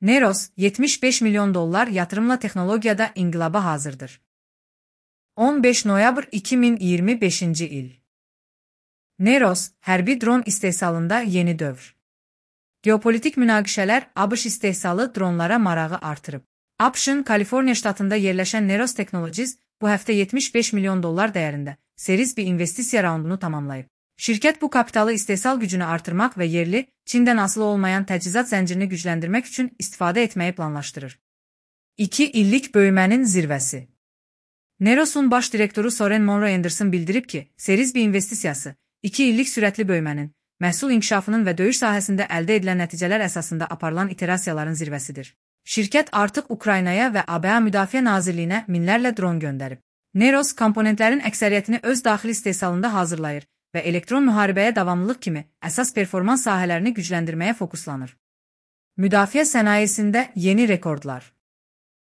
Neros, 75 milyon dolar yatırımla texnologiyada inqilaba hazırdır. 15 noyabr 2025 il. Neros, hərbi dron istehsalında yeni dövr. Geopolitik münaqişələr ABŞ istehsalı dronlara marağı artırıb. ABŞ-ın Kaliforniya ştatında yerləşən Neros Technologies bu həftə 75 milyon dollar dəyərində series bir investisiya raundunu tamamlayıb. Şirkət bu kapitalı istehsal gücünü artırmaq və yerli, Çindən asılı olmayan təchizat zəncirini gücləndirmək üçün istifadə etməyi planlaşdırır. 2 illik böyümənin zirvəsi. Neros'un baş direktoru Soren Monroe Anderson bildirib ki, series bir investisiyası, 2 illik sürətli böyümənin, məhsul inkişafının və döyüş sahəsində əldə edilən nəticələr əsasında aparılan iterasiyaların zirvəsidir. Şirkət artıq Ukraynaya və ABA Müdafiə Nazirliyinə minlərlə dron göndərib. Neros komponentlərin əksəriyyətini öz daxili istehsalında hazırlayır və elektron müharibəyə davamlılıq kimi əsas performans sahələrini gücləndirməyə fokuslanır. Müdafiə sənayesində yeni rekordlar.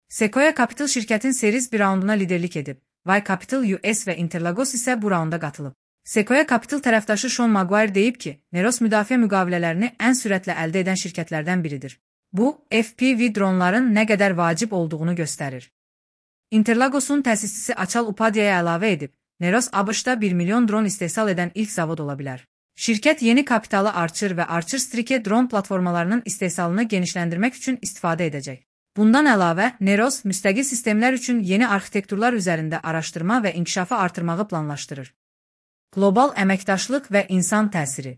Sequoia Capital şirkətin series bir raunduna liderlik edib. Y Capital US və Interlagos isə bu raunda qatılıb. Sequoia Capital tərəfdaşı Sean Maguire deyib ki, Neros müdafiə müqavilələrini ən sürətlə əldə edən şirkətlərdən biridir. Bu, FPV dronların nə qədər vacib olduğunu göstərir. Interlagos'un təsisçisi Achal Upadhyaya əlavə edib, Neros ABŞ-da 1 milyon dron istehsal edən ilk zavod ola bilər. Şirkət yeni kapitalı Archer və Archer Strike dron platformalarının istehsalını genişləndirmək üçün istifadə edəcək. Bundan əlavə, Neros müstəqil sistemlər üçün yeni arxitekturlar üzərində araşdırma və inkişafı artırmağı planlaşdırır. Qlobal əməkdaşlıq və insan təsiri.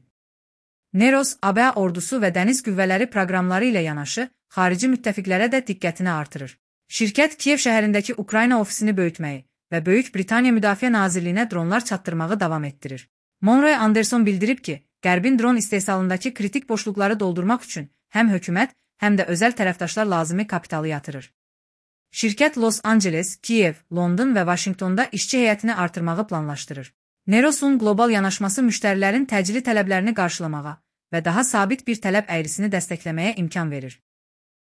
Neros, ABA ordusu və dəniz qüvvələri proqramları ilə yanaşı, xarici müttəfiqlərə də diqqətini artırır. Şirkət Kiyev şəhərindəki Ukrayna ofisini böyütməyi və Böyük Britaniya Müdafiə Nazirliyinə dronlar çatdırmağı davam etdirir. Monroe Anderson bildirib ki, Qərbin dron istehsalındakı kritik boşluqları doldurmaq üçün həm hökumət, həm də özəl tərəfdaşlar lazımi kapitalı yatırır. Şirkət Los Angeles, Kiyev, London və Vaşinqtonda işçi heyətini artırmağı planlaşdırır. Neros'un qlobal yanaşması müştərilərin təcili tələblərini qarşılamağa və daha sabit bir tələb əyrisini dəstəkləməyə imkan verir.